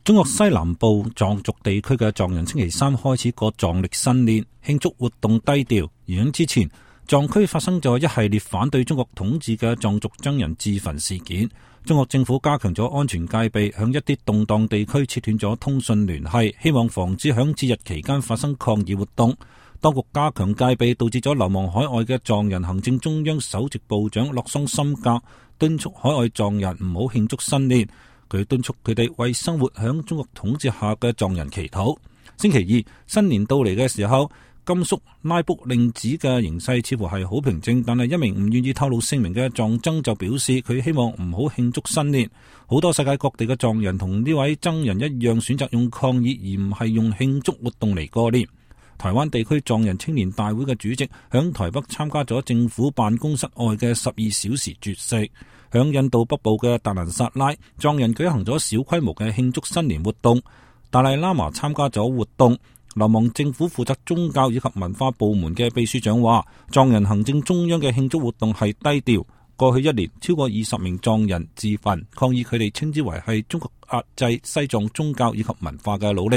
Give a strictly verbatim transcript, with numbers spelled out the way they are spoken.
中國西南部藏族地區嘅藏人星期三開始過藏曆新年，慶祝活動低調。而喺之前，藏區發生咗一系列反對中國統治嘅藏族僧人自焚事件。中國政府加強咗安全戒備，響一啲動盪地區切斷咗通訊聯繫，希望防止響節日期間發生抗議活動。當局加強戒備，導致咗流亡海外嘅藏人。行政中央首席部長洛桑森格敦促海外藏人唔好慶祝新年。佢敦促佢哋為生活響中國統治下嘅藏人祈禱。星期二新年到嚟嘅時候，甘肅拉卜令子嘅形勢似乎係好平靜，但係一名唔願意透露姓名嘅藏僧就表示，佢希望唔好慶祝新年。好多世界各地嘅藏人同呢位僧人一樣，選擇用抗議而唔係用慶祝活動嚟過年。台灣地區藏人青年大會嘅主席響台北參加咗政府辦公室外嘅十二小時絕食。響印度北部嘅達蘭薩拉，藏人舉行咗小規模嘅慶祝新年活動。達賴喇嘛參加咗活動。流亡政府負責宗教以及文化部門嘅秘書長話，藏人行政中央嘅慶祝活動係低調。過去一年，超過二十名藏人自焚，抗議佢哋稱之為係中國壓制西藏宗教以及文化嘅努力。